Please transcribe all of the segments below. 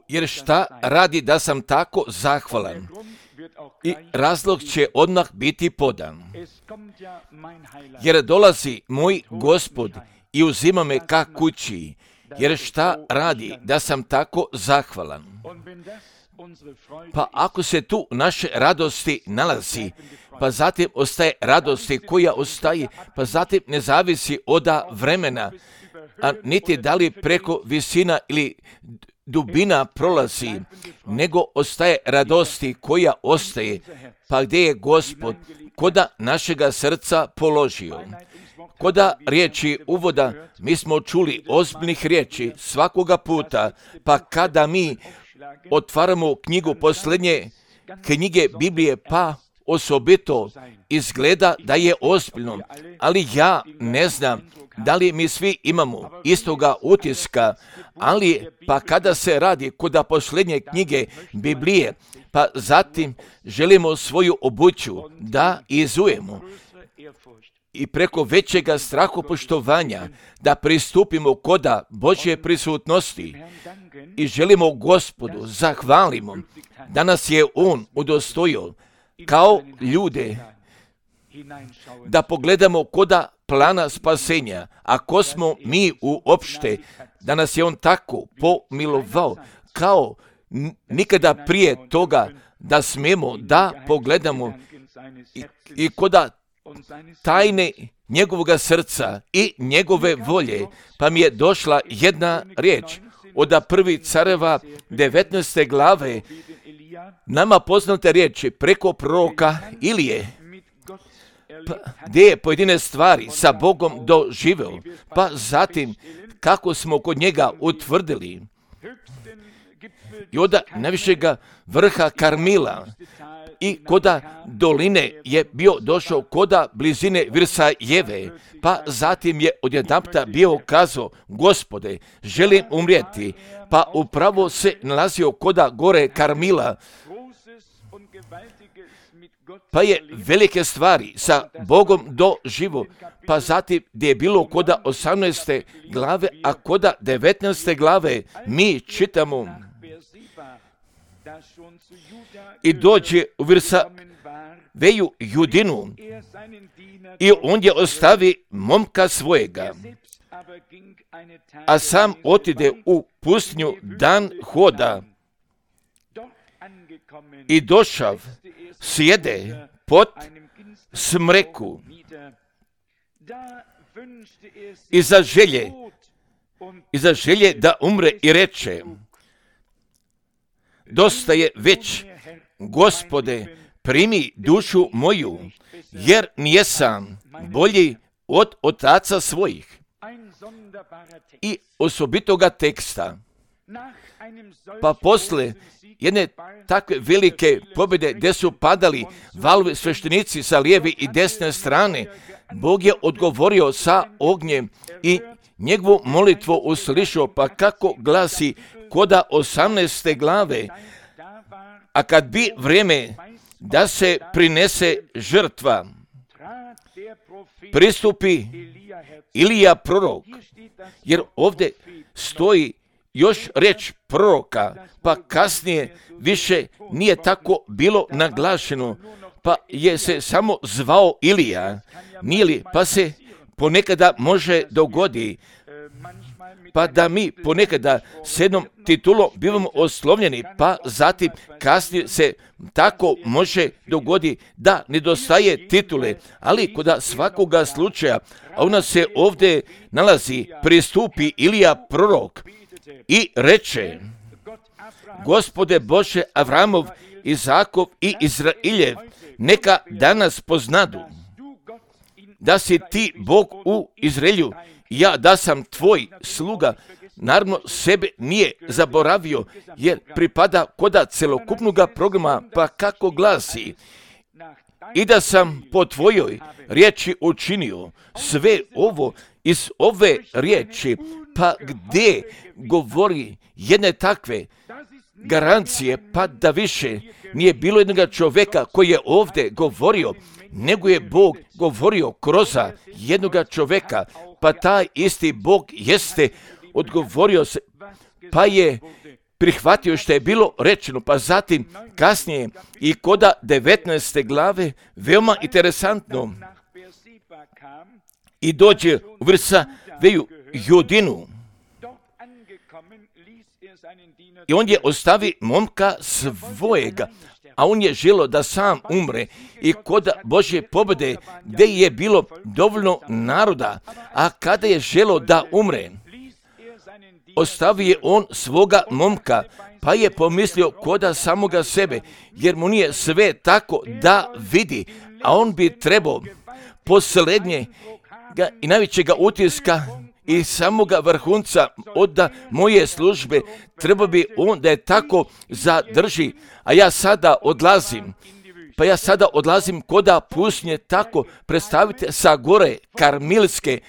Jer šta radi da sam tako zahvalan? I razlog će odmah biti podan. Jer dolazi moj Gospod i uzima me ka kući. Jer šta radi da sam tako zahvalan? Pa ako se tu naše radosti nalazi, pa zatim ostaje radosti koja ostaje, pa zatim ne zavisi od vremena, a niti da li preko visina ili dubina prolazi, nego ostaje radosti koja ostaje, pa gdje je Gospod koda našega srca položio. Koda riječi uvoda mi smo čuli ozbiljnih riječi svakoga puta, pa kada mi otvaramo knjigu posljednje knjige Biblije, pa osobito izgleda da je ozbiljno, ali ja ne znam da li mi svi imamo istoga utiska, ali pa kada se radi kod posljednje knjige Biblije, pa zatim želimo svoju obuću da izujemo i preko većega strahopoštovanja da pristupimo koda Božje prisutnosti i želimo Gospodu zahvalimo da nas je On udostojio kao ljude da pogledamo koda plana spasenja, a ko smo mi uopšte, da nas je On tako pomilovao kao nikada prije toga da smemo da pogledamo i koda tajne njegovoga srca i njegove volje, pa mi je došla jedna riječ od prvi careva 19. glave, nama poznate riječi preko proroka Ilije, pa, gdje je pojedine stvari sa Bogom doživeo, pa zatim kako smo kod njega utvrdili i od najvišega vrha Karmila i koda doline je bio došao koda blizine Virsajeve, pa zatim je odjedanputa bio kazao, Gospode, želim umrijeti, pa upravo se nalazio koda gore Karmila, pa je velike stvari sa Bogom doživo, pa zatim gdje je bilo koda 18. glave, a koda 19. glave mi čitamo i dođe u Virsaveju Judinu i on je ostavi momka svojega, a sam otide u pustinju dan hoda i došav sjede pod smreku i za želje da umre i reče, dosta je već, Gospode, primi dušu moju, jer nijesam bolji od otaca svojih. I osobitoga teksta, pa posle jedne takve velike pobjede gdje su padali valovi sveštenici sa lijeve i desne strane, Bog je odgovorio sa ognjem i njegovu molitvu uslišao, pa kako glasi koda 18. glave, a kad bi vrijeme da se prinese žrtva, pristupi Ilija prorok, jer ovdje stoji još riječ proroka, pa kasnije više nije tako bilo naglašeno, pa je se samo zvao Ilija, nije li, pa se ponekada može dogodi, pa da mi ponekada s jednom titulom bivamo oslovljeni, pa zatim kasnije se tako može dogodi da nedostaje titule, ali kod svakoga slučaja, a ona se ovdje nalazi, pristupi Ilija prorok i reče, Gospode Bože Avramov, Izakov i Izrailjev, neka danas poznadu da si ti Bog u Izraelju, ja da sam tvoj sluga, naravno sebe nije zaboravio, jer pripada koda celokupnog programa, pa kako glasi, i da sam po tvojoj riječi učinio sve ovo iz ove riječi, pa gdje govori jedne takve garancije, pa da više nije bilo jednog čovjeka koji je ovdje govorio, nego je Bog govorio kroz jednoga čovjeka, pa taj isti Bog jeste odgovorio se, pa je prihvatio što je bilo rečeno, pa zatim kasnije i koda 19. glave, veoma interesantno, i dođe u Vrsaveju Judinu. I on je ostavi momka svojega, a on je želio da sam umre. I kod Božje pobjede, gdje je bilo dovoljno naroda, a kada je želio da umre, ostavio je on svoga momka, pa je pomislio koda samoga sebe, jer mu nije sve tako da vidi, a on bi trebao posljednjega i najvećega utiska i samoga vrhunca od moje službe, treba bi on da je tako zadrži, a ja sada odlazim. Pa ja sada odlazim koda pustinje, tako predstavite sa gore Karmilske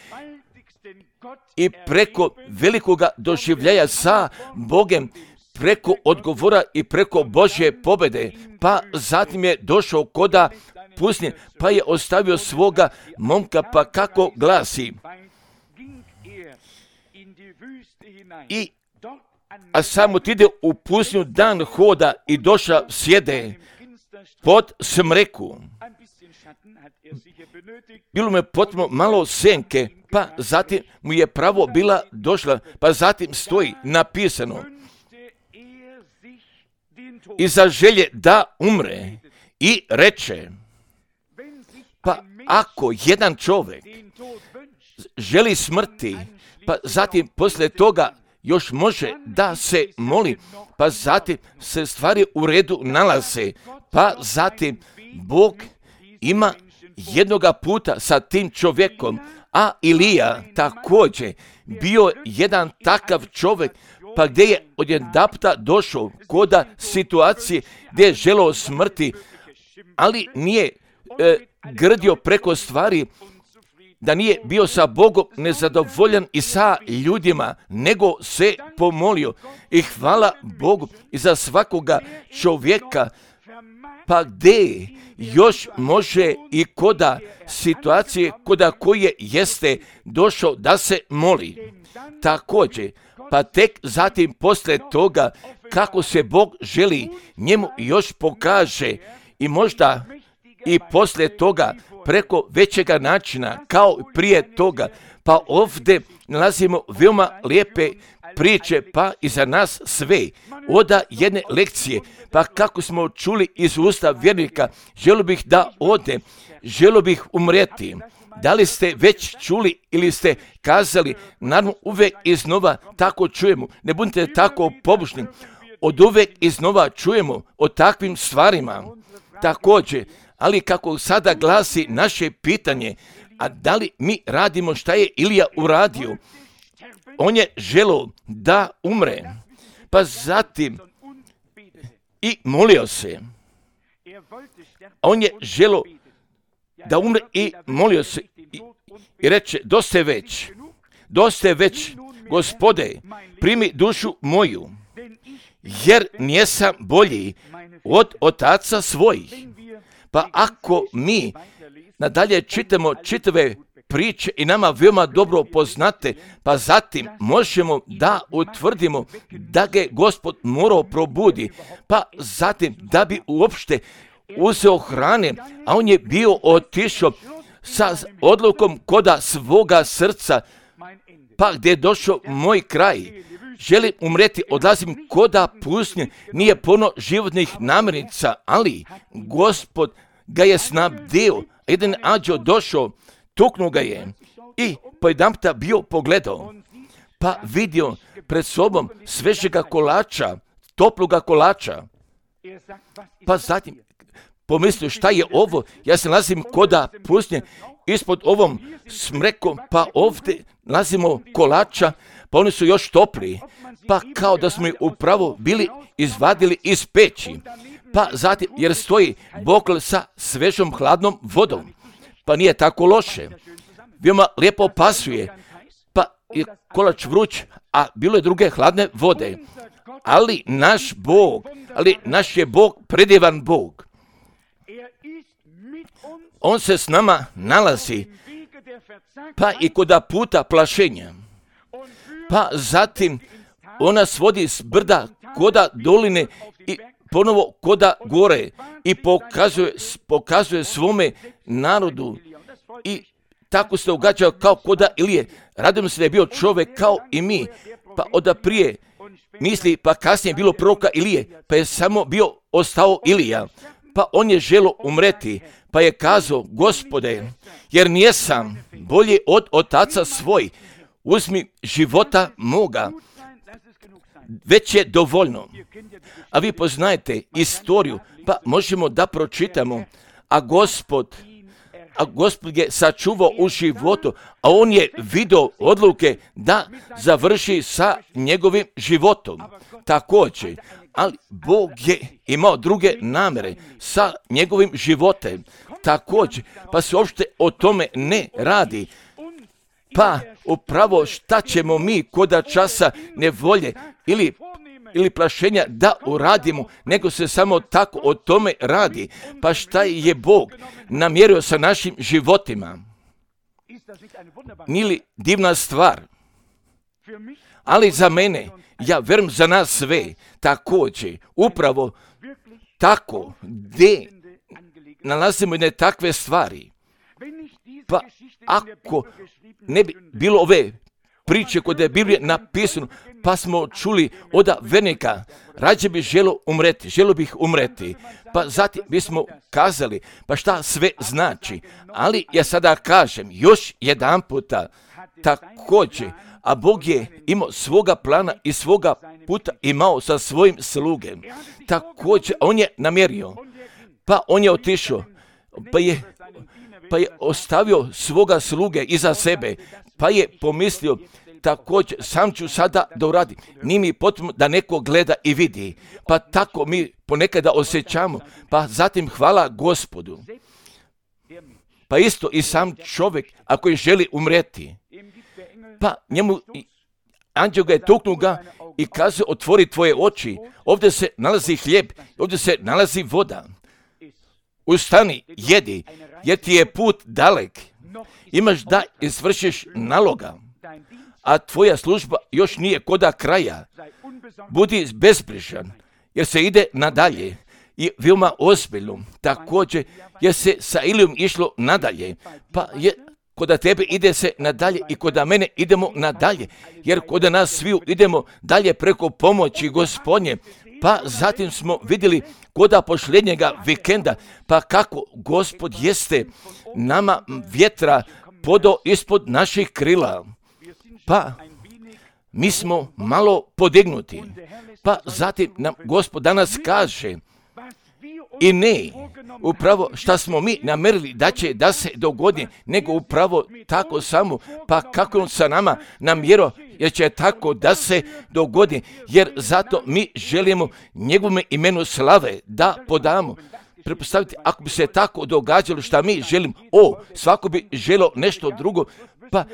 i preko velikoga doživljaja sa Bogem, preko odgovora i preko Božje pobjede. Pa zatim je došao koda pustinje, pa je ostavio svoga momka, pa kako glasi. A samo ide u pustinju, dan hoda i došao sjede pod smreku. Bilo mu je potpuno malo senke, pa zatim mu je pravo bila došla, pa zatim stoji napisano i za želje da umre i reče, pa ako jedan čovjek želi smrti, pa zatim poslije toga još može da se moli, pa zatim se stvari u redu nalaze, pa zatim Bog ima jednoga puta sa tim čovjekom, a Ilija također bio jedan takav čovjek, pa gdje je odjedanputa došao koda situacije gdje je želeo smrti, ali nije grdio preko stvari, da nije bio sa Bogom nezadovoljan i sa ljudima, nego se pomolio. I hvala Bogu i za svakoga čovjeka, pa gdje još može i koda situacije koda koje jeste došao da se moli. Također, pa tek zatim poslije toga kako se Bog želi njemu još pokaže i možda i poslije toga preko većega načina kao prije toga, pa ovdje nalazimo veoma lijepe priče, pa i za nas sve od jedne lekcije, pa kako smo čuli iz usta vjernika, želio bih da ode, želio bih umreti. Da li ste već čuli ili ste kazali, naravno uvijek iznova tako čujemo, ne budite tako pobožni, od uvijek iznova čujemo o takvim stvarima. Također, ali kako sada glasi naše pitanje, a da li mi radimo šta je Ilija uradio? On je želio da umre, pa zatim i molio se. On je želio da umre i molio se i reče, dosta je već, Gospode, primi dušu moju, jer nijesam bolji od otaca svojih. Pa ako mi nadalje čitamo čitave priče i nama veoma dobro poznate, pa zatim možemo da utvrdimo da ga Gospod morao probudi, pa zatim da bi uopšte uzeo hrane, a on je bio otišao sa odlukom koda svoga srca, pa gdje je došao moj kraj. Želim umreti, odlazim koda pustinje, nije puno životnih namirnica, ali Gospod ga je snabdio. Jedan anđeo došao, tuknuo ga je i pojedanputa bio pogledao, pa vidio pred sobom svežega kolača, toploga kolača. Pa zatim pomislio, šta je ovo? Ja se nalazim koda pustinje, ispod ovom smrekom, pa ovdje nalazimo kolača, pa oni su još topli, pa kao da smo ih upravo bili izvadili iz peći. Pa zatim, jer stoji bokl sa svežom hladnom vodom, pa nije tako loše. Veoma lijepo pasuje, pa je kolač vruć, a bilo je druge hladne vode. Ali naš je Bog predivan Bog. On se s nama nalazi, pa i koda puta plašenja. pa zatim ona svodi s brda koda doline i ponovo koda gore i pokazuje svome narodu i tako se događao kao koda Ilije. Radim se da je bio čovjek kao i mi, pa onda prije misli, pa kasnije je bilo proroka Ilije, pa je samo bio ostao Ilija, pa on je želio umreti, pa je kazao, Gospode, jer nijesam bolji od otaca svoj, uzmi života moga, već je dovoljno. A vi poznajete istoriju, pa možemo da pročitamo, a Gospod je sačuvao u životu, a on je vidio odluke da završi sa njegovim životom. Također, ali Bog je imao druge namere sa njegovim životem. Također, pa se uopšte o tome ne radi. Pa upravo šta ćemo mi koda časa nevolje ili plašenja da uradimo, nego se samo tako o tome radi. Pa šta je Bog namjerio sa našim životima? Nije li divna stvar? Ali za mene, ja verujem za nas sve, također, upravo tako, gdje nalazimo jedne takve stvari. Pa ako ne bi bilo ove priče koje je Biblija napisano, pa smo čuli od vernika, rađe bi želio bih umreti, pa zatim bismo kazali, pa šta sve znači, ali ja sada kažem još jedan puta, također, a Bog je imao svoga plana i svoga puta imao sa svojim slugem, također, on je namjerio, pa on je otišao, pa je ostavio svoga sluge iza sebe, pa je pomislio, također, sam ću sada da uradim. Nije mi potrebno da neko gleda i vidi. Pa tako mi ponekada osjećamo. Pa zatim hvala Gospodu. Pa isto i sam čovjek, ako je želi umreti, pa njemu anđeo ga je tuknuo ga i kazao, otvori tvoje oči. Ovdje se nalazi hljeb, ovdje se nalazi voda. Ustani, jedi, jer ti je put dalek. Imaš da izvršiš naloga, a tvoja služba još nije koda kraja. Budi bezbrižan, jer se ide nadalje i veoma ozbiljno. Također, jer se sa Ilijom išlo nadalje, pa je koda tebe ide se nadalje i koda mene idemo nadalje, jer koda nas sviju idemo dalje preko pomoći Gospodnje. Pa zatim smo vidjeli koda posljednjega vikenda, pa kako Gospod jeste nama vjetra podao ispod naših krila. Pa mi smo malo podignuti. Pa zatim nam Gospod danas kaže, i ne upravo šta smo mi namerili da će da se dogodi, nego upravo tako samo, pa kako on sa nama namjerao, jer će tako da se dogodi, jer zato mi želimo njegovome imenu slave da podamo. Pretpostavite, ako bi se tako događalo šta mi želimo, svako bi želio nešto drugo, pa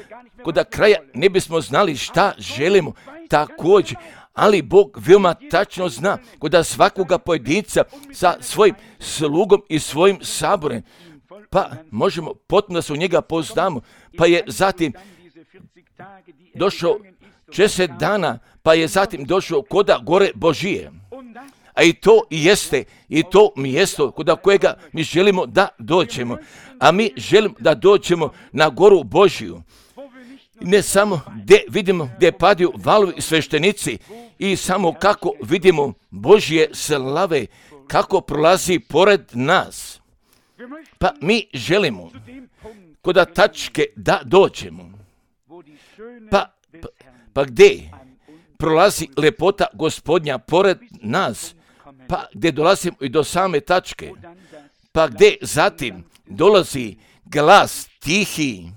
koda kraja ne bismo znali šta želimo također, ali Bog veoma tačno zna koda svakoga pojedinca sa svojim slugom i svojim saborem, pa možemo potpuno da se u njega poznamo, pa je zatim došao 40 dana, pa je zatim došao koda gore Božije. A i to jeste, i to mjesto koda kojega mi želimo da dođemo. A mi želimo da dođemo na goru Božiju. Ne samo gdje vidimo gdje padaju valovi i sveštenici i samo kako vidimo Božje slave, kako prolazi pored nas. Pa mi želimo koda tačke da dođemo. Pa gdje prolazi lepota Gospodnja pored nas, pa gdje dolazimo i do same tačke, pa gdje zatim dolazi glas tihi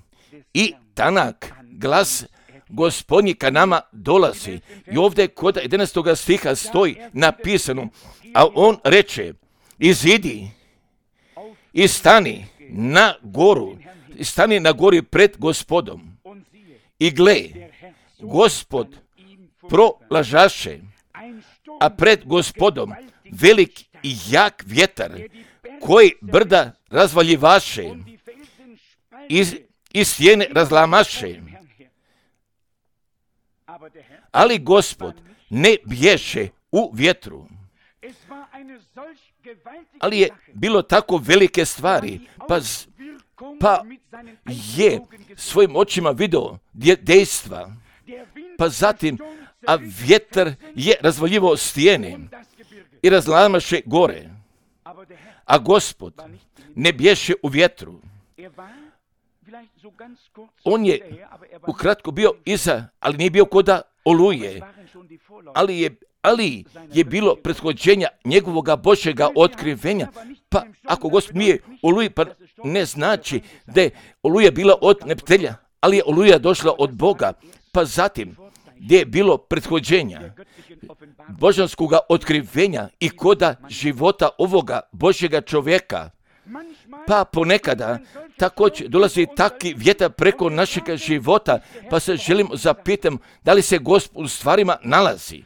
i tanak, glas Gospodnji ka nama dolazi. I ovdje kod 11. stiha stoji napisano, a on reče, izidi i stani na goru, stani na gori pred Gospodom. I gle, Gospod prolažaše, a pred Gospodom velik i jak vjetar, koji brda razvaljivaše i stijene razlamaše. Ali Gospod ne bješe u vjetru. Ali je bilo tako velike stvari, pa je svojim očima vidio dejstva, pa zatim, a vjetar je razvaljivao stijene i razlamaše gore, a Gospod ne bješe u vjetru. On je ukratko bio iza, ali nije bio koda oluje, ali je bilo prethođenja njegovoga Božjega otkrivenja. Pa ako Gospod nije oluji, pa ne znači da je oluja bila od neptelja, ali je oluja došla od Boga. Pa zatim, gdje je bilo prethođenja božanskoga otkrivenja i koda života ovoga Božjega čovjeka, pa ponekada također dolazi taki vjetar preko našega života, pa se želim zapitam da li se Gospod u stvarima nalazi.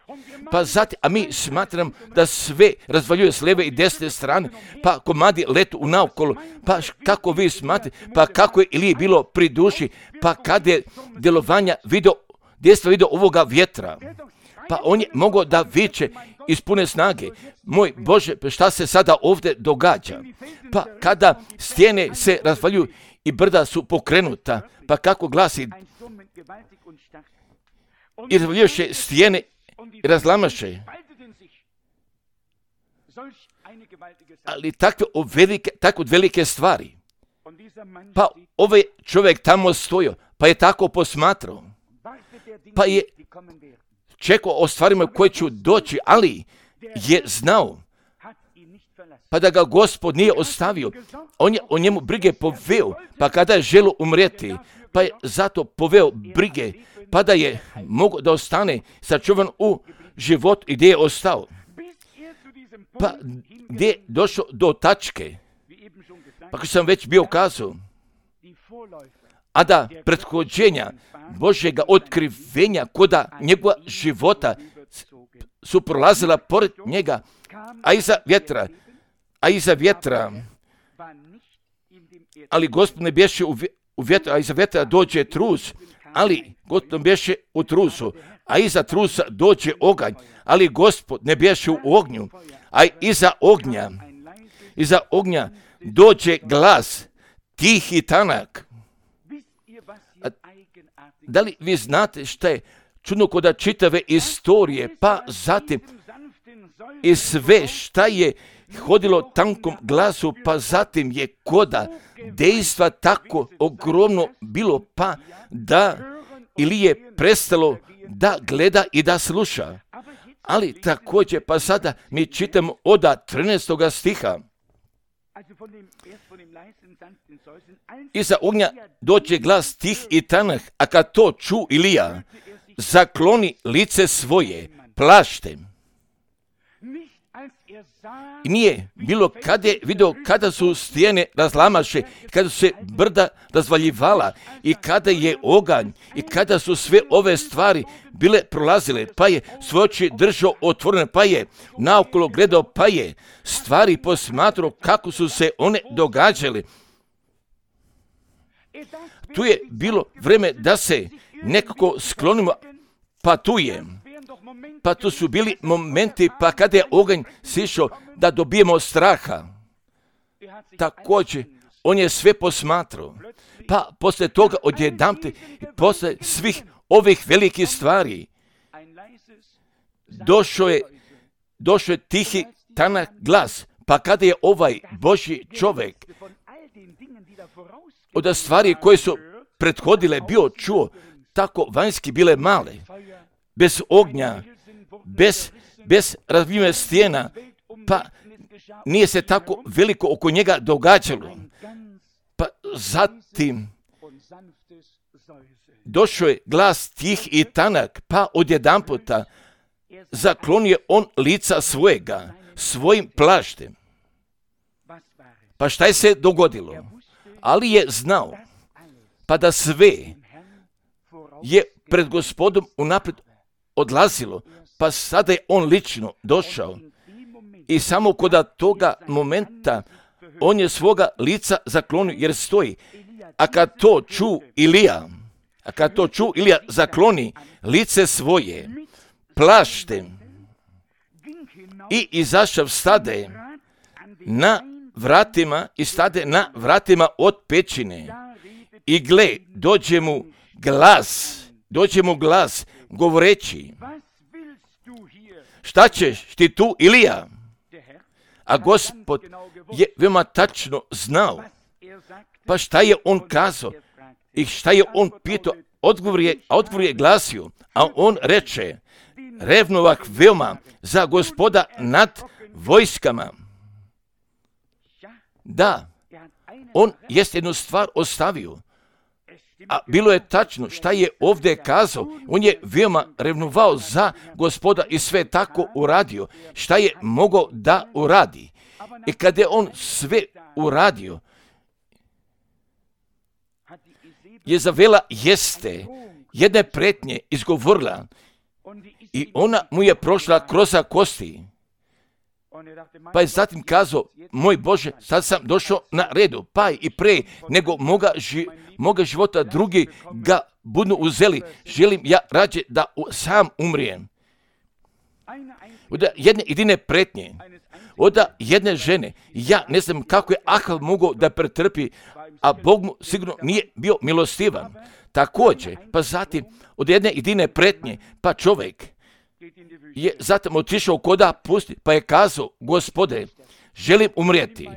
Pa zatim, a mi smatram da sve razvaljuje s lijeve i desne strane, pa komadi letu u naokolo, pa kako vi smatrate, pa kako je ili bilo pri duši, pa kada je djelovanja djestva vidio ovoga vjetra, pa on je mogao da viče iz pune snage, moj Bože, šta se sada ovdje događa? Pa kada stijene se razvaljuju i brda su pokrenuta, pa kako glasi, i razvaljuše stijene i razlamaše. Ali tako velike stvari. Pa ovaj čovjek tamo stojio, pa je tako posmatrao, pa je čekao o stvarima koje će doći, ali je znao, pa da ga Gospod nije ostavio. On je o njemu brige poveo, pa kada je želio umrijeti, pa je zato poveo brige, pa da je mogao da ostane sačuvan u život i gdje je ostao. Pa gdje je došao do tačke, pa kao sam već bio kazao, a da prethođenja Božjega otkrivenja koda njegova života su prolazila pored njega, a iza vjetra, ali Gospod ne bješe u vjetru, a iza vjetra dođe trus, ali Gospod bješe u trusu, a iza trusa dođe oganj, ali Gospod ne bješe u ognju, a iza ognja dođe glas, tih i tanak. Da li vi znate šta je čudno koda čitave istorije, pa zatim i sve šta je hodilo tankom glasu, pa zatim je koda dejstva tako ogromno bilo, pa da ili je prestalo da gleda i da sluša. Ali također, pa sada mi čitamo od 13. stiha. Iza ognja dođe glas tih i tanak, a kad to ču Ilija, zakloni lice svoje plaštem. I nije bilo kada je vidio kada su stijene razlamaše, kada su se brda razvaljivala i kada je oganj i kada su sve ove stvari bile prolazile, pa je svoje oči držao otvorene, pa je naokolo gledao, pa je stvari posmatrao kako su se one događale. Tu je bilo vreme da se nekako sklonimo, pa tu je. Pa tu su bili momenti, pa kada je oganj sišao, da dobijemo straha. Također, on je sve posmatrao. Pa poslije toga odjedanput, poslije svih ovih velikih stvari, došao je tihi tanak glas. Pa kada je ovaj Božji čovjek od stvari koje su prethodile bio čuo, tako vanjski bile male, bez ognja, bez razvijene stijena, pa nije se tako veliko oko njega događalo. Pa zatim došao je glas tih i tanak, pa odjedanputa zaklonio on lica svojega, svojim plaštem. Pa šta je se dogodilo? Ali je znao, pa da sve je pred Gospodom unaprijed odlazilo, pa sada je on lično došao i samo kod toga momenta on je svoga lica zaklonio jer stoji. A kad to ču Ilija, A kad to ču, Ilija zakloni lice svoje plaštem i izašav stade na vratima i stade na vratima od pećine. I gle, dođe mu glas govoreći, šta ćeš ti tu, Ilija? A Gospod je veoma tačno znao, pa šta je on kazao i šta je on pitao, odgovor je glasio, a on reče, revnovah veoma za Gospoda nad vojskama. Da, on jest jednu stvar ostavio, a bilo je tačno šta je ovdje kazao, on je veoma revnovao za Gospoda i sve tako uradio, šta je mogao da uradi. I kada je on sve uradio, Jezavela jeste jedne pretnje izgovorila i ona mu je prošla kroz kosti. Pa je zatim kazao, moj Bože, sad sam došao na redu, pa i pre nego moga života drugi ga budu uzeli, želim ja rađe da sam umrijem. Od jedne jedine pretnje, od jedne žene, ja ne znam kako je Ahab mogao da pretrpi, a Bog mu sigurno nije bio milostivan. Također, pa zatim od jedne jedine pretnje, pa čovjek je zatim otišao koda pusti, pa je kazao, Gospode, želim umrijeti,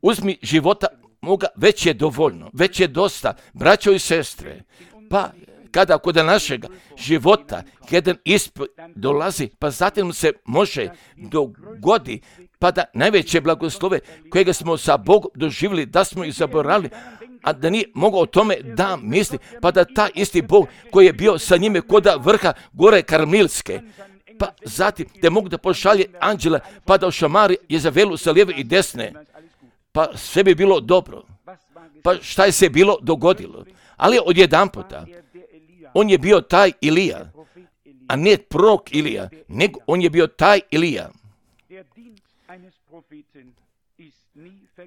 uzmi života moga, već je dovoljno, već je dosta, braćo i sestre. Pa kada kod našega života jedan ispit dolazi, pa zatim se može dogodi, pa da najveće blagoslove kojega smo sa Bogom doživjeli, da smo ih zaboravili, a da nije mogao o tome da misli, pa da taj isti Bog koji je bio sa njime koda vrha gore Karmelske, pa zatim da mogu da pošalje anđela, pa da ošamari Jezavelu sa lijeve i desne, pa sve bi bilo dobro. Pa šta je se bilo dogodilo? Ali odjedanputa, on je bio taj Ilija, a ne prorok Ilija, nego on je bio taj Ilija.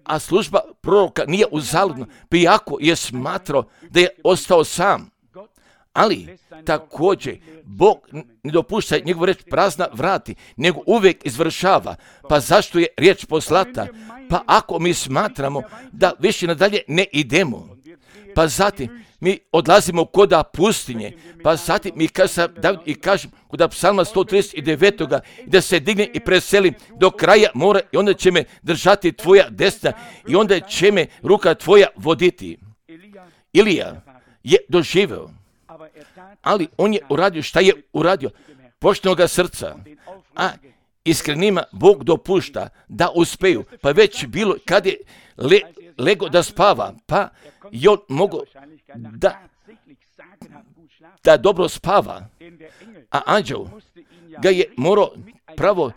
A služba proroka nije uzaludna, pa iako je smatrao da je ostao sam. Ali također Bog ne dopušta njegovu reč prazna vrati, nego uvijek izvršava. Pa zašto je riječ poslata? Pa ako mi smatramo da više nadalje ne idemo, pa zatim mi odlazimo koda pustinje, pa zatim mi kažem koda psalma 139. da se digne i preselim do kraja mora i onda će me držati tvoja desna i onda će me ruka tvoja voditi. Ilija je doživeo, ali on je uradio šta je uradio, poštenoga srca, a iskrenima Bog dopušta da uspeju, pa već bilo kad je lego da spava, pa i on mogo da dobro spava, a anđel ga je morao pravo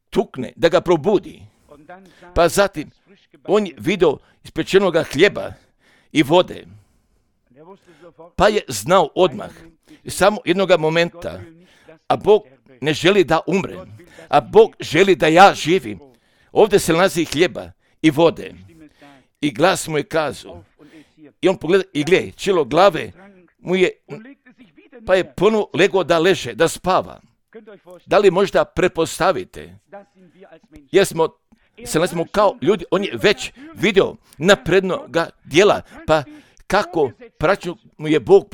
tukne da ga probudi. Pa zatim on je vidio ispečenoga hljeba i vode, pa je znao odmah, samo jednoga momenta, a Bog ne želi da umrem, a Bog želi da ja živim. Ovdje se nalazi hljeba i vode. I glas mu je kazao, i on pogleda i gleda, čelo glave mu je, pa je ponovo legao da leže, da spava. Da li možda prepostavite, jer smo kao ljudi, on je već vidio naprednoga djela, pa kako praću mu je Bog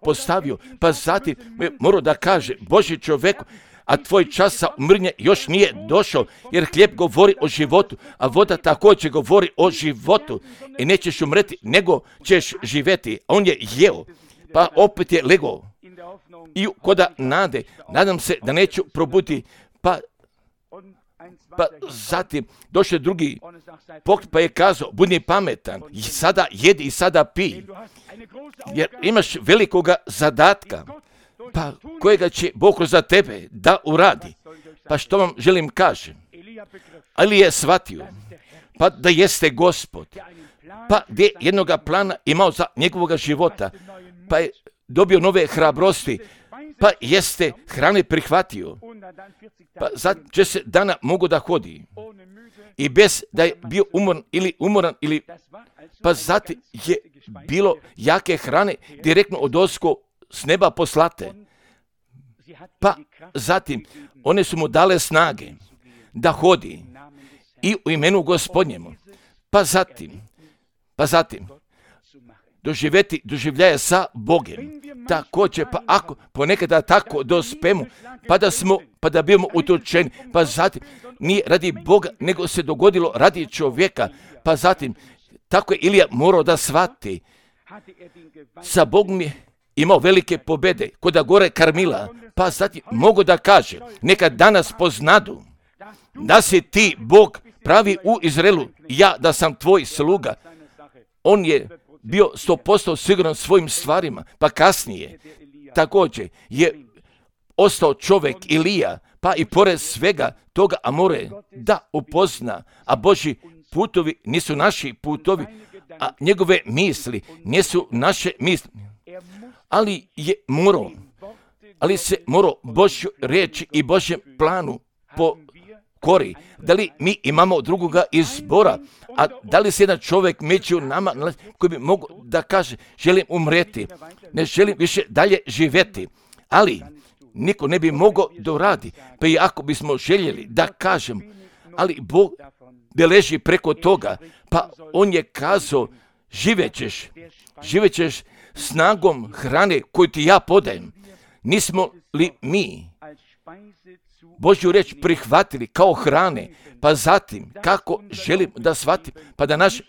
postavio, pa zatim je morao da kaže, Božji čovjeku, a tvoj čas sa umrnje još nije došao, jer hljeb govori o životu, a voda također govori o životu. I nećeš umreti, nego ćeš živjeti. A on je jeo, pa opet je legao. I koda nadam se da neću probuditi, pa zatim došao drugi pogled, pa je kazao, budi pametan, i sada jedi i sada pij, jer imaš velikoga zadatka, pa kojega će Bog za tebe da uradi. Pa što vam želim kažem? Ali je shvatio, pa da jeste Gospod, pa gdje jednoga plana imao za njegovog života, pa je dobio nove hrabrosti, pa jeste hrane prihvatio, pa za 40 dana mogu da hodi i bez da je bio umoran ili pa zatim je bilo jake hrane direktno odozgo s neba poslate. Pa zatim one su mu dale snage da hodi i u imenu Gospodnjemu. Pa zatim doživljaje sa Bogem. Također, pa ako ponekada tako dospemo, pa da bimo utučeni, pa zatim nije radi Boga, nego se dogodilo radi čovjeka, pa zatim tako je Ilija morao da shvati. Sa Bogom je imao velike pobjede kod gore Karmila, pa zatim mogu da kaže, neka danas poznadu da si ti Bog pravi u Izraelu, ja da sam tvoj sluga. On je bio 100% siguran svojim stvarima, pa kasnije također je ostao čovjek Ilija, pa i pored svega toga, a more da upozna, a Božji putovi nisu naši putovi, a njegove misli nisu naše misli. Ali se morao Božju riječi i Božjem planu pokori. Da li mi imamo drugoga izbora? A da li se jedan čovjek među nama koji bi mogao da kaže, želim umreti, ne želim više dalje živjeti, ali niko ne bi mogao da uradi. Pa i ako bismo željeli da kažem, ali Bog beleži preko toga, pa on je kazao, živećeš snagom hrane koju ti ja podajem. Nismo li mi Božju riječ prihvatili kao hrane, pa zatim kako želim da shvatim, pa da naš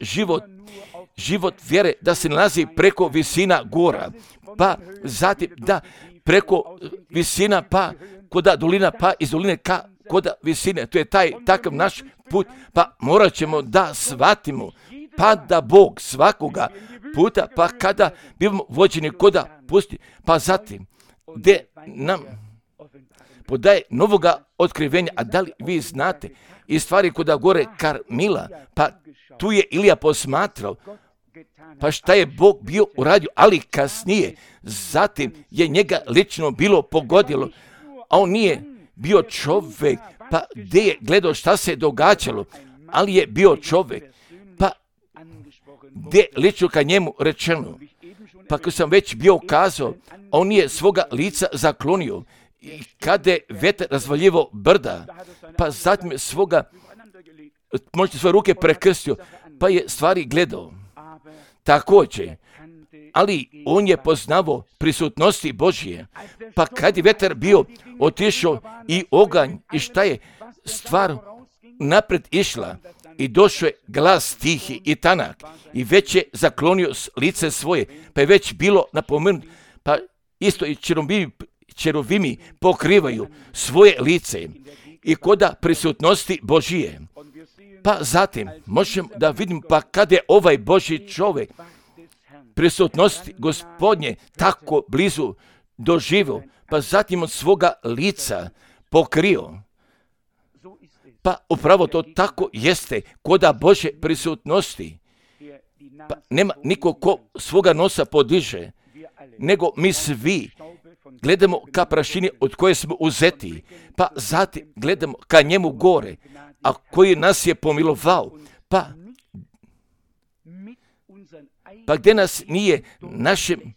život vjere da se nalazi preko visina gora, pa zatim da preko visina pa koda dolina, pa iz doline koda visine, to je takav naš put, pa morat ćemo da shvatimo, pa da Bog svakoga puta, pa kada bivamo vođeni koda pusti, pa zatim gdje nam podaje novoga otkrivenja. A da li vi znate i stvari koda gore Karmila, pa tu je Ilija posmatrao, pa šta je Bog bio uradio, ali kasnije, zatim je njega lično bilo pogodilo, a on nije bio čovjek, pa gdje je gledao šta se događalo, ali je bio čovjek, pa gdje lično ka njemu rečeno, pa kad sam već bio kazao, on nije svoga lica zaklonio, i kada je vetar razvaljivo brda, pa zatim možete svoje ruke prekrstio, pa je stvari gledao. Također, ali on je poznavao prisutnosti Božije, pa kad je vetar bio otišao i oganj i šta je stvar napred išla i došao je glas tihi i tanak i već je zaklonio lice svoje, pa je već bilo napomenuto, pa isto i čeruvimi pokrivaju svoje lice i koda prisutnosti Božije. Pa zatim možemo da vidimo, pa kada je ovaj Božji čovjek prisutnosti Gospodnje tako blizu doživio, pa zatim od svoga lica pokrio. Pa upravo to tako jeste koda Božje prisutnosti. Pa nema niko ko svoga nosa podiže, nego mi svi gledamo ka prašini od koje smo uzeti, pa zatim gledamo ka njemu gore, a koji nas je pomilovao, pa gdje nas nije našim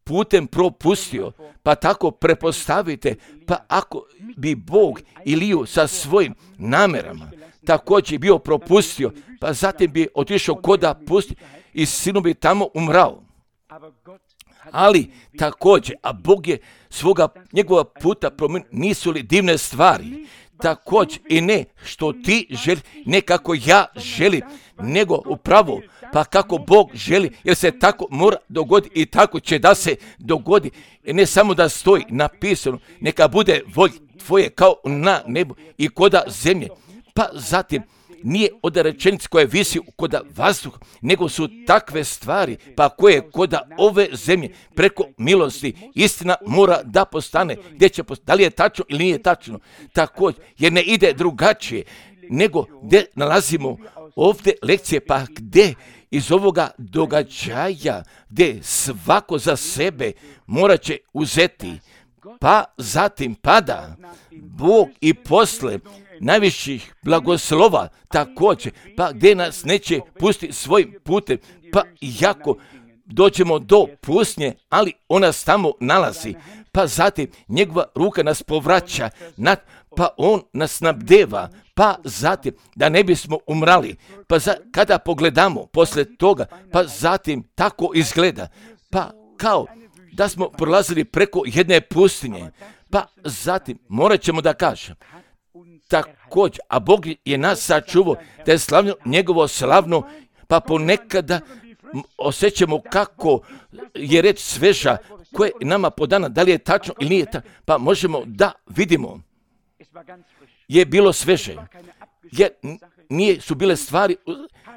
putem propustio, pa tako prepostavite, pa ako bi Bog Iliju sa svojim namjerama također bio propustio, pa zatim bi otišao koda pusti i sinu bi tamo umrao. Ali također, a Bog je njegova puta promijenio, nisu li divne stvari? Također i ne što ti želi, ne kako ja želim, nego upravo pa kako Bog želi, jer se tako mora dogoditi i tako će da se dogodi. I ne samo da stoji napisano, neka bude volja tvoje kao na nebu i koda zemlje. Pa zatim nije od rečenice koje visi koda vazduha, nego su takve stvari, pa koje koda ove zemlje preko milosti istina mora da postane. Da li je tačno ili nije tačno? Također, jer ne ide drugačije, nego gdje nalazimo ovdje lekcije, pa gdje iz ovoga događaja, gdje svako za sebe morat će uzeti, pa zatim pada Bog i posle najviših blagoslova također, pa gdje nas neće pustiti svojim putem, pa jako dođemo do pustinje, ali ona se tamo nalazi, pa zatim njegova ruka nas povraća, pa on nas snabdeva, pa zatim da ne bismo umrali, pa kada pogledamo posle toga, pa zatim tako izgleda, pa kao da smo prolazili preko jedne pustinje, pa zatim morat ćemo da kažem, također, a Bog je nas sačuvao, da je slavno njegovo slavno, pa ponekada osjećamo kako je reč sveža, koje je nama podana, da li je tačno ili nije tačno, pa možemo da vidimo, je bilo sveže, jer nije su bile stvari,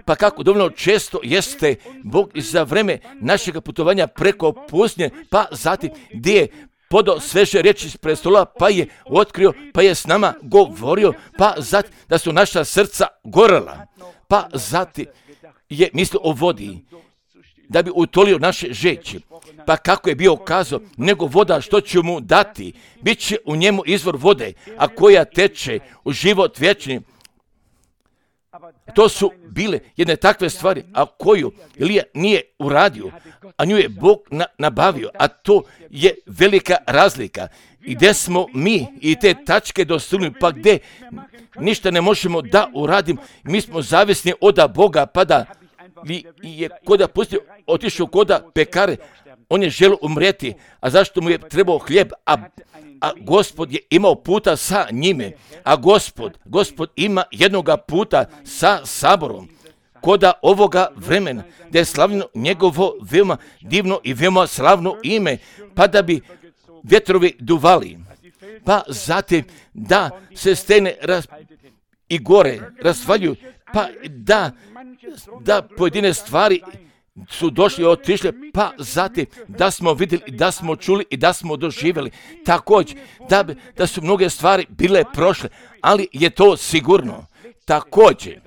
pa kako dovoljno često jeste Bog za vreme našeg putovanja preko pustinje, pa zatim gdje je podao sveže riječi iz prestola, pa je otkrio, pa je s nama govorio, pa zatim da su naša srca gorela, pa zatim je mislio o vodi, da bi utolio naše žeći. Pa kako je bio kazao, nego voda što će mu dati, bit će u njemu izvor vode, a koja teče u život vječni. To su bile jedne takve stvari, a koju Ilija nije uradio, a nju je Bog nabavio, a to je velika razlika. I gdje smo mi i te tačke dostignuli, pa gdje ništa ne možemo da uradimo, mi smo zavisni od Boga, pa da je koda pustio, otišao koda pekare, on je želio umrijeti, a zašto mu je trebao hljeb, a Gospod je imao puta sa njime, a Gospod ima jednoga puta sa saborom, koda ovoga vremena, da je slavno njegovo veoma divno i veoma slavno ime, pa da bi vjetrovi duvali, pa zatim da se stene i gore rasvaljuju, pa da pojedine stvari su došli i otišli, pa zatim da smo vidjeli, da smo čuli i da smo doživjeli. Također, da su mnoge stvari bile prošle, ali je to sigurno. Također,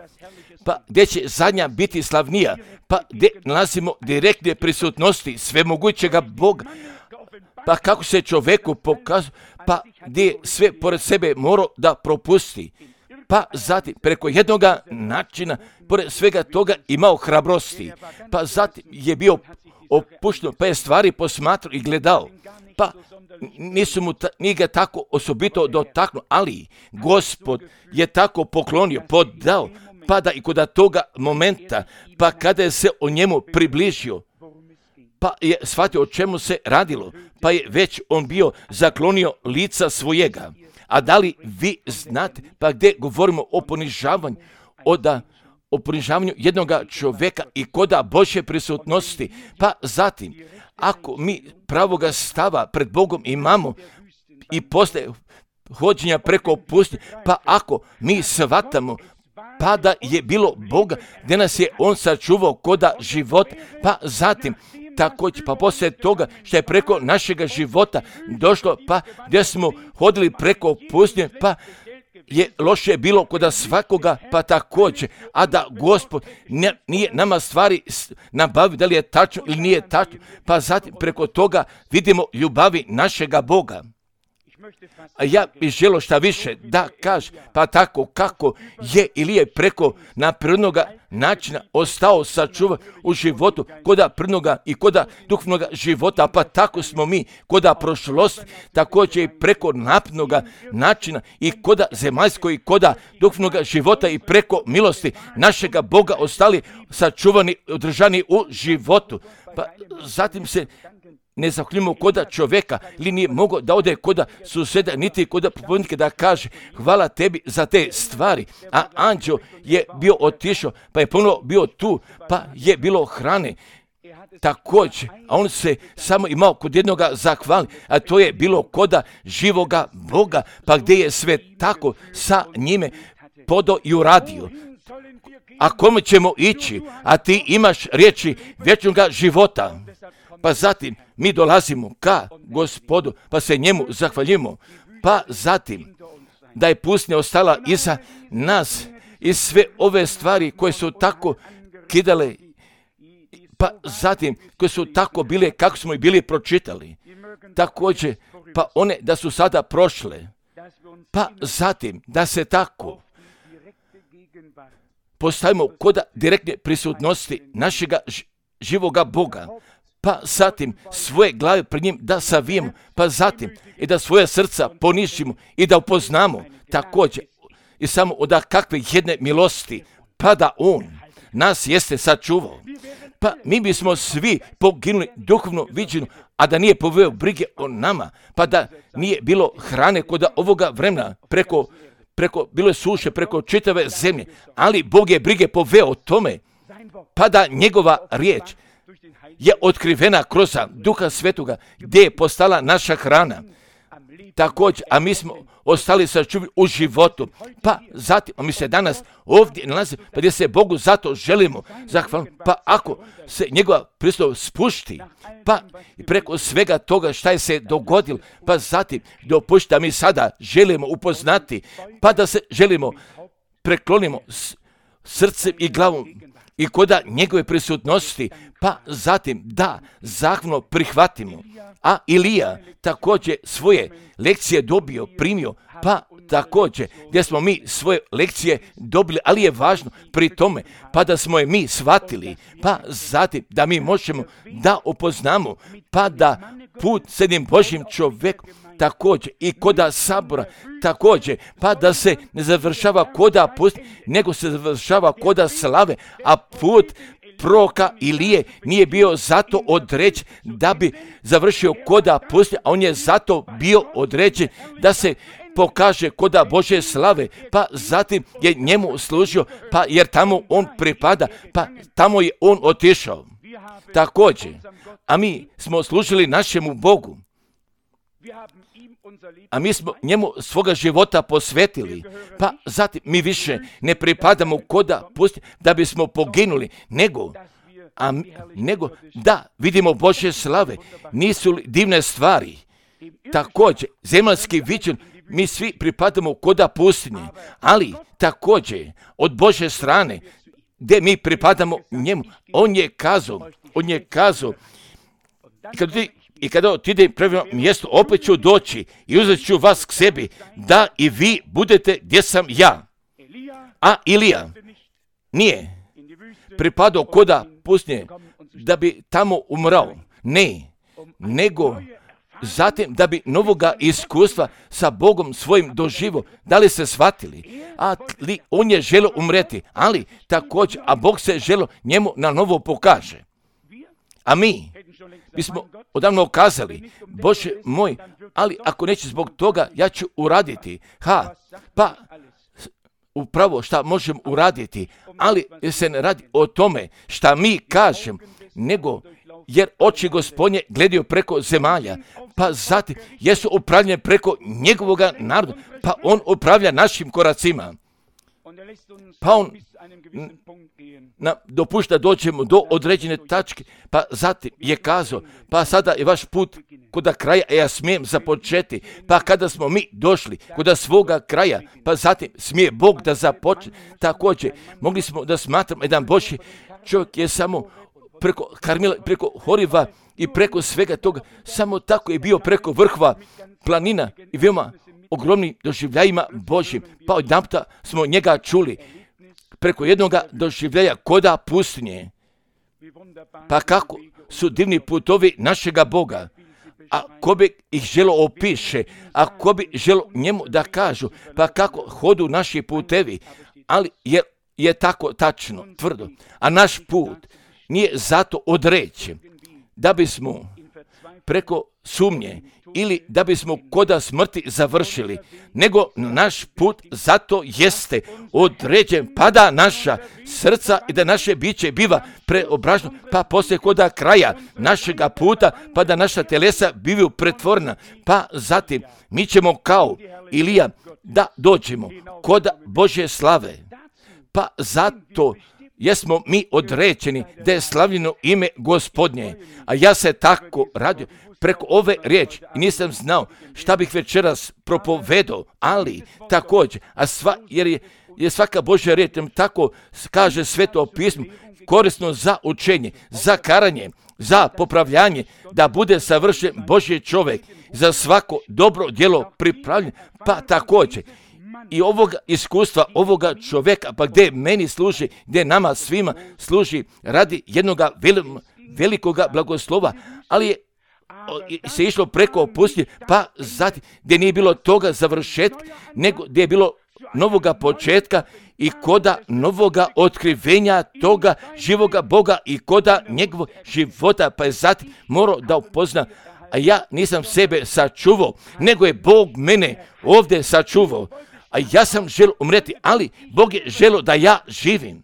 pa gdje će zadnja biti slavnija, pa gdje nalazimo direktne prisutnosti svemogućega Boga, pa kako se čovjeku pokazuje, pa gdje sve pored sebe morao da propusti. Pa zatim, preko jednoga načina, pored svega toga imao hrabrosti, pa zatim je bio opušten, pa je stvari posmatrao i gledao, pa nije ga tako osobito dotaknuo, ali Gospod je tako poklonio, podao, pa da i kod toga momenta, pa kada je se o njemu približio, pa je shvatio o čemu se radilo, pa je već on bio zaklonio lica svojega. A da li vi znate, pa gdje govorimo o ponižavanju jednoga čovjeka i koda Božje prisutnosti, pa zatim, ako mi pravoga stava pred Bogom imamo i posle hođenja preko pustinje, pa ako mi shvatamo, pa da je bilo Boga, gdje nas je on sačuvao koda života, pa zatim, također, pa poslije toga što je preko našega života došlo, pa gdje smo hodili preko pustinje, pa je loše bilo kod svakoga, pa također, a da Gospod nije nama stvari nabavio, da li je tačno ili nije tačno, pa zatim preko toga vidimo ljubavi našega Boga. A ja bih želio šta više da kaže, pa tako kako je Ilija preko prirodnoga načina ostao sačuvan u životu, koda prirodnoga i koda duhovnoga života, pa tako smo mi koda prošlosti, također i preko naprednoga načina i koda zemaljskog i koda duhovnoga života i preko milosti našega Boga ostali sačuvani, održani u životu. Pa zatim se ne zahvaljujemo koda čovjeka, ili nije mogao da ode koda suseda, niti koda propovjednika da kaže hvala tebi za te stvari. A anđeo je bio otišao, pa je ponovno bio tu, pa je bilo hrane. Također, a on se samo imao kod jednoga zahvali, a to je bilo koda živoga Boga, pa gdje je sve tako sa njime podao i uradio. A kome ćemo ići, a ti imaš riječi vječnoga života. Pa zatim mi dolazimo ka Gospodu, pa se njemu zahvaljujemo. Pa zatim da je pustinja ostala iza nas i sve ove stvari koje su tako kidale, pa zatim koje su tako bile kako smo i bili pročitali. Također pa one da su sada prošle, pa zatim da se tako postavimo kod direktne prisutnosti našega živoga Boga, pa zatim svoje glave pred njim da savijemo, pa zatim i da svoje srca ponižimo i da upoznamo također i samo od kakve jedne milosti, pa da On nas jeste sačuvao. Pa mi bismo svi poginuli duhovno viđeno, a da nije poveo brige o nama, pa da nije bilo hrane kod ovoga vremena, preko bilo je suše, preko čitave zemlje, ali Bog je brige poveo o tome, pa da njegova riječ je otkrivena kroz Duha Svetoga, gdje je postala naša hrana. Također, a mi smo ostali sačuvani u životu, pa zatim, a mi se danas ovdje nalazimo, pa gdje se Bogu zato želimo zahvaliti, pa ako se njegova prisutnost spušti, pa i preko svega toga šta je se dogodilo, pa zatim dopušti da mi sada želimo upoznati, pa da se želimo preklonimo srcem i glavom i koda njegove prisutnosti, pa zatim da zahvalno prihvatimo. A Ilija također svoje lekcije dobio, primio, pa također gdje smo mi svoje lekcije dobili, ali je važno pri tome, pa da smo je mi shvatili, pa zatim da mi možemo da upoznamo, pa da put s jednim Božjim čovjekom također i koda sabora također, pa da se ne završava koda pusti, nego se završava koda slave, a put proroka Ilije nije bio zato određen da bi završio koda pusti, a on je zato bio određen da se pokaže koda Božje slave, pa zatim je njemu služio, pa jer tamo on pripada, pa tamo je on otišao. Također, a mi smo služili našemu Bogu, a mi smo njemu svoga života posvetili, pa zatim mi više ne pripadamo koda pusti da bismo poginuli, nego da vidimo Božje slave. Nisu li divne stvari? Također, zemaljski viđen, mi svi pripadamo koda pustinje, ali također od Božje strane, gdje mi pripadamo njemu, on je kazao, i kada otiđem prema mjestu, opet ću doći i uzet ću vas k sebi, da i vi budete gdje sam ja. A Ilija nije pripadao koda pustinje da bi tamo umrao. Ne, nego zatim da bi novoga iskustva sa Bogom svojim doživo. Da li se shvatili? Ali on je želio umreti, ali također, a Bog se želio njemu na novo pokaže. A mi bismo odavno kazali, Bože moj, ali ako neće zbog toga, ja ću uraditi. Pa upravo šta možem uraditi, ali se ne radi o tome šta mi kažem, nego jer oči Gospodnje gledaju preko zemalja, pa zatim jesu upravljene preko njegovoga naroda, pa on upravlja našim koracima. Pa on dopušta dođemo do određene tačke, pa zatim je kazao, pa sada je vaš put kod kraja, a ja smijem započeti, pa kada smo mi došli kod svoga kraja, pa zatim smije Bog da započne. Također, mogli smo da smatramo jedan Božji čovjek je samo preko Karmila, preko Horiva i preko svega toga, samo tako je bio preko vrhova planina i veoma ogromnim doživljajima Božjim, pa odjedanputa smo njega čuli preko jednoga doživljaja koda pustinje. Pa kako su divni putovi našega Boga, a ko bi ih želo opiše, a ko bi želo njemu da kažu, pa kako hodu naši putevi, ali je tako tačno, tvrdo, a naš put nije zato određen da bismo preko sumnje ili da bismo koda smrti završili, nego naš put zato jeste određen, pa da naša srca i da naše biće biva preobraženo, pa poslije koda kraja našega puta, pa da naša telesa bivaju pretvorena, pa zatim mi ćemo kao Ilija da dođemo koda Božje slave, pa zato jesmo mi određeni da je slavljeno ime Gospodnje, a ja se tako radio preko ove riječi i nisam znao šta bih večeras propovedao, ali također, jer je svaka Božja riječ, tako kaže Sveto pismo, korisno za učenje, za karanje, za popravljanje, da bude savršen Božji čovjek za svako dobro djelo pripravljen, pa također i ovoga iskustva, ovoga čovjeka, pa gdje meni služi, gdje nama svima služi radi jednoga velikoga blagoslova, ali je se išlo preko pustinje, pa zatim gdje nije bilo toga završetka, nego gdje je bilo novoga početka i koda novoga otkrivenja toga živoga Boga i koda njegovog života, pa je zatim morao da upozna, a ja nisam sebe sačuvao, nego je Bog mene ovdje sačuvao, a ja sam želio umreti, ali Bog je želio da ja živim.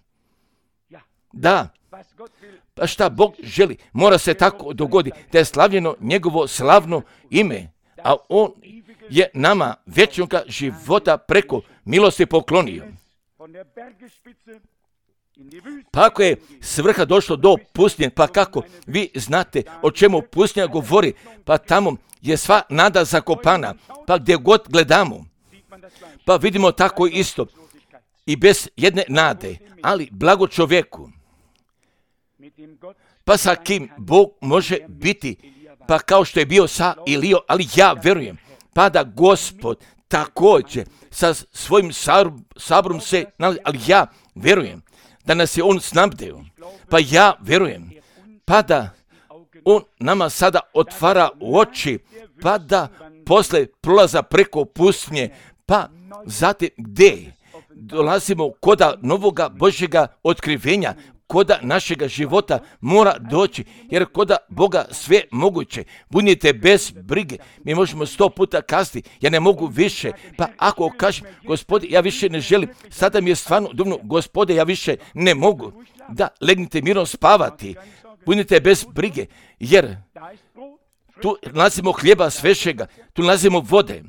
Da, pa šta Bog želi, mora se tako dogoditi, da je slavljeno njegovo slavno ime, a on je nama vječnoga života preko milosti poklonio. Pa ako je svrha došlo do pustinje, pa kako vi znate o čemu pustinja govori, pa tamo je sva nada zakopana, pa gdje god gledamo, pa vidimo tako isto i bez jedne nade, ali blago čovjeku, pa sa kim Bog može biti, pa kao što je bio sa Ilijom, ali ja vjerujem, pa da Gospod također sa svojim saborom se nalazi, ali ja vjerujem da nas je on snabdeo, pa ja vjerujem, pa da on nama sada otvara oči, pa da posle prolaza preko pustinje, pa zatim gdje dolazimo koda novoga Božjega otkrivenja, koda našega života mora doći, jer koda Boga sve moguće. Budite bez brige. Mi možemo 100 puta kazati, ja ne mogu više. Pa ako kažem, Gospode, ja više ne želim, sada mi je stvarno dumno, Gospode, ja više ne mogu. Da, legnite mirno spavati. Budite bez brige, jer tu nalazimo hljeba svežega, tu nalazimo vode,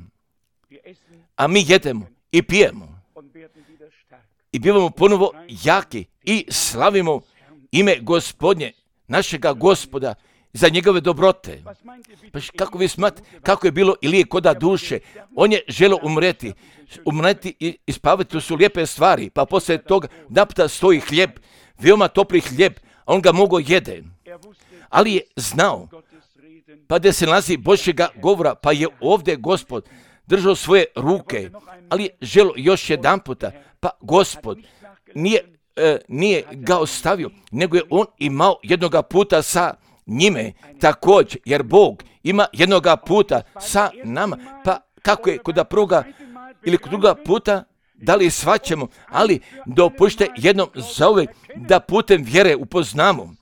a mi jedemo i pijemo. I bivamo ponovo jaki i slavimo ime Gospodnje, našega Gospoda, za njegove dobrote. Pa kako vi smatrate, kako je bilo Ilije koda duše, on je želio umreti i spavati, to su lijepe stvari, pa poslije toga naputa stoji hljeb, veoma topli hljeb, a on ga mogao jede. Ali je znao, pa da se nalazi Božjega govora, pa je ovdje Gospod držao svoje ruke, ali je želio još jedan puta, pa Gospod nije ga ostavio, nego je on imao jednoga puta sa njime također, jer Bog ima jednoga puta sa nama, pa kako je kod prvoga ili kod druga puta, da li shvaćamo, ali dopušte jednom zauvijek da putem vjere upoznamo,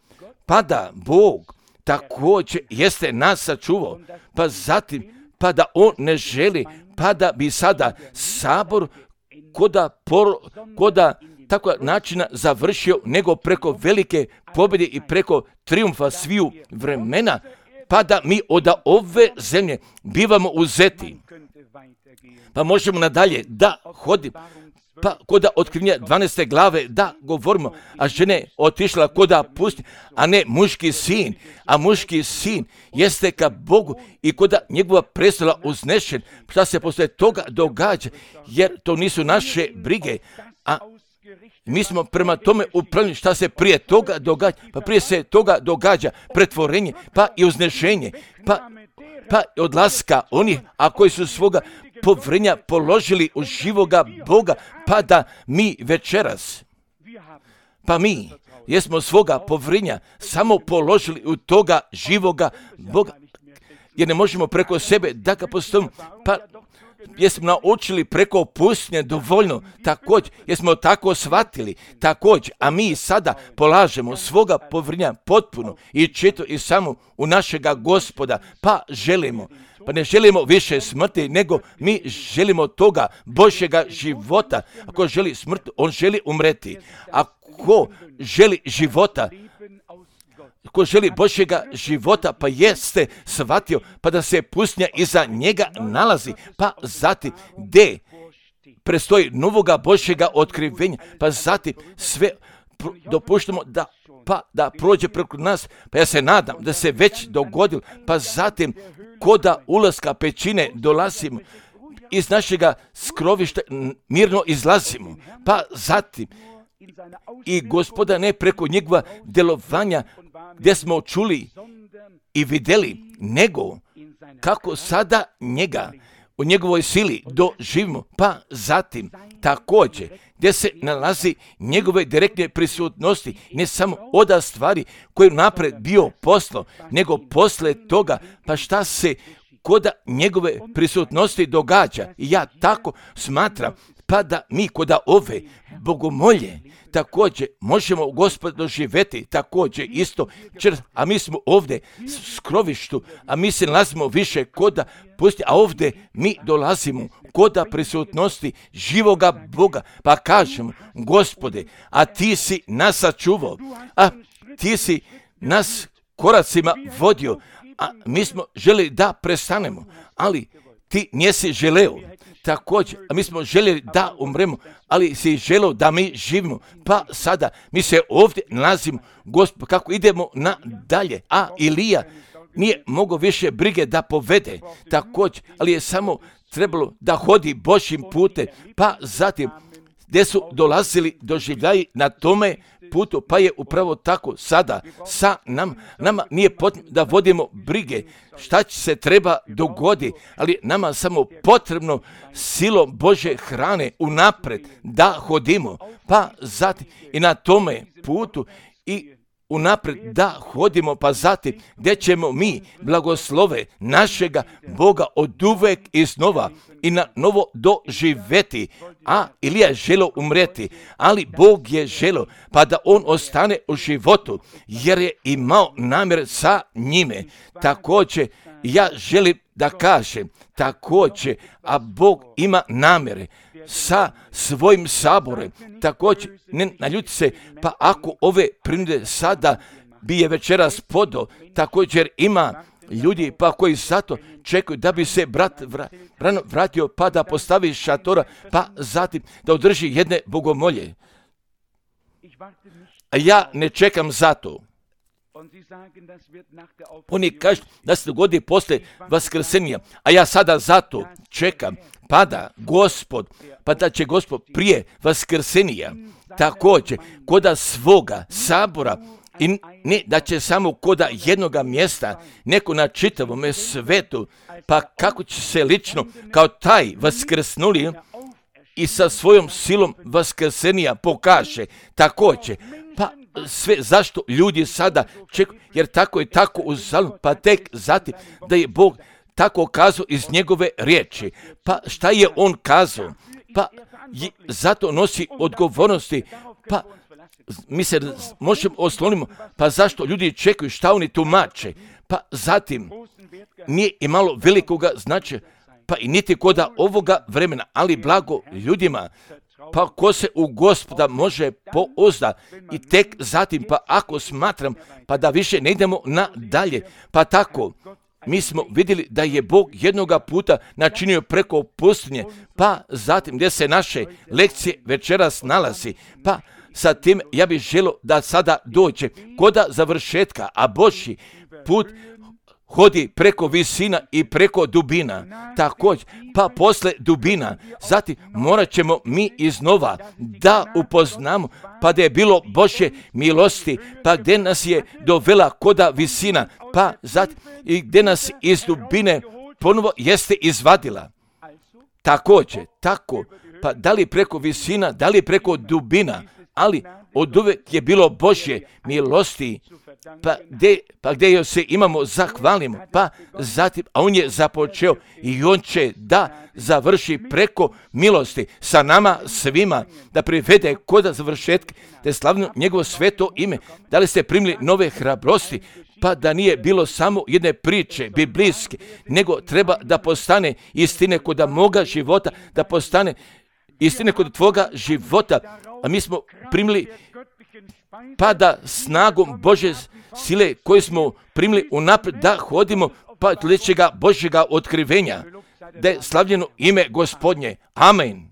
pa da Bog također jeste nas sačuvao, pa zatim, pa da on ne želi, pa da bi sada sabor koda tako načina završio, nego preko velike pobjede i preko triumfa sviju vremena, pa da mi od ove zemlje bivamo uzeti. Pa možemo nadalje da hodimo, pa koda otkrivenja 12. glave da govorimo, a žene otišla koda pusti, a ne muški sin, a muški sin jeste ka Bogu i koda njegova prestola uznešen. Šta se poslije toga događa, jer to nisu naše brige, a mi smo prema tome upravljeni šta se prije toga događa, pa prije se toga događa pretvorenje, pa i uznešenje, pa odlaska onih, a koji su svoga povrenja položili u živoga Boga, pa da mi večeras, pa mi jesmo svoga povrenja samo položili u toga živoga Boga, jer ne možemo preko sebe da ga postavimo, pa jesmo naučili preko pustinje dovoljno, također, jesmo tako shvatili, također, a mi sada polažemo svoga povrenja potpuno i čito i samo u našega Gospoda, pa ne želimo više smrti, nego mi želimo toga Božjega života. Ako želi smrt, on želi umreti. Ako želi života, ko želi Božjega života, pa jeste shvatio, pa da se pustinja iza njega nalazi, pa zatim gdje prestoji novoga Božjega otkrivenja, pa zatim sve dopuštamo da prođe preko nas, pa ja se nadam da se već dogodilo, pa zatim koda ulaska pećine dolazimo, iz našega skrovišta mirno izlazimo, pa zatim i Gospoda ne preko njegova djelovanja gdje smo čuli i vidjeli, nego kako sada njega u njegovoj sili doživimo, pa zatim također gdje se nalazi njegove direktne prisutnosti, ne samo od stvari koje napred bio poslo, nego posle toga, pa šta se kod njegove prisutnosti događa. I ja tako smatram, pa da mi kod ove bogomolje također možemo Gospod doživjeti također isto, a mi smo ovdje s krovištu, a mi se nalazimo više kod pusti, a ovdje mi dolazimo kod prisutnosti živoga Boga, pa kažemo, Gospode, a ti si nas sačuvao, a ti si nas koracima vodio, a mi smo željeli da prestanemo, ali ti nisi želeo. Također, a mi smo željeli da umremo, ali si želeo da mi živimo. Pa sada mi se ovdje nalazimo, Gospod, kako idemo nadalje. A Ilija nije mogao više brige da povede, također, ali je samo trebalo da hodi Božjim putem, pa zatim gdje su dolazili doživljaji na tome putu, pa je upravo tako sada sa nama nije potrebno da vodimo brige šta će se treba dogodi, ali nama samo potrebno silom Božje hrane unapred da hodimo, pa zatim i na tome putu i unapred da hodimo, pa zatim gdje ćemo mi blagoslove našega Boga oduvek i znova i na novo doživjeti. A Ilija je želio umreti, ali Bog je želio pa da on ostane u životu, jer je imao namjer sa njime. Također ja želim da kažem također, a Bog ima namjere sa svojim saborem. Također, ne naljuti se, pa ako ove prinude sada bi je večeras podao, također ima ljudi pa koji zato čekaju da bi se brat vratio pa da postavi šatora, pa zatim da održi jedne bogomolje. A ja ne čekam zato. Oni kažu da se dogodi poslije vaskrsenja, a ja sada zato čekam pa da će Gospod prije vaskrsenja također koda svoga sabora, i ne da će samo koda jednoga mjesta neko na čitavom svetu, pa kako će se lično kao taj vaskrsnuli i sa svojom silom vaskrsenja pokaže također. Pa sve zašto ljudi sada čekaju, jer tako je tako u Psalmu, pa tek zatim da je Bog tako kazao iz njegove riječi. Pa šta je on kazao? Pa zato nosi odgovornosti, pa mi se možemo oslonimo, pa zašto ljudi čekaju, šta oni tumače? Pa zatim nije imalo velikoga značaja, pa i niti koda ovoga vremena, ali blago ljudima, pa ko se u Gospoda može pouzda i tek zatim, pa ako smatram, pa da više ne idemo nadalje, pa tako, mi smo vidjeli da je Bog jednoga puta načinio preko pustinje, pa zatim gdje se naše lekcije večeras nalazi, pa sa tim ja bih želio da sada dođe koda završetka, a Božji put hodi preko visina i preko dubina, također, pa posle dubina, zatim morat ćemo mi iznova da upoznamo, pa da je bilo Božje milosti, pa gdje nas je dovela koda visina, pa zatim i gdje nas iz dubine ponovo jeste izvadila. Također, tako, pa da li preko visina, da li preko dubina, ali od uvek je bilo Božje milosti, pa gdje se imamo zahvalimo, pa zatim, a on je započeo i on će da završi preko milosti sa nama svima, da privede koda završetka, da je slavno njegovo sveto ime. Da li ste primili nove hrabrosti, pa da nije bilo samo jedne priče biblijske, nego treba da postane istine koda moga života, da postane istine kod tvoga života, a mi smo primili pa da snagom Božje sile koje smo primili unaprijed da hodimo pa sljedećega Božjega otkrivenja, da je slavljeno ime Gospodnje. Amen.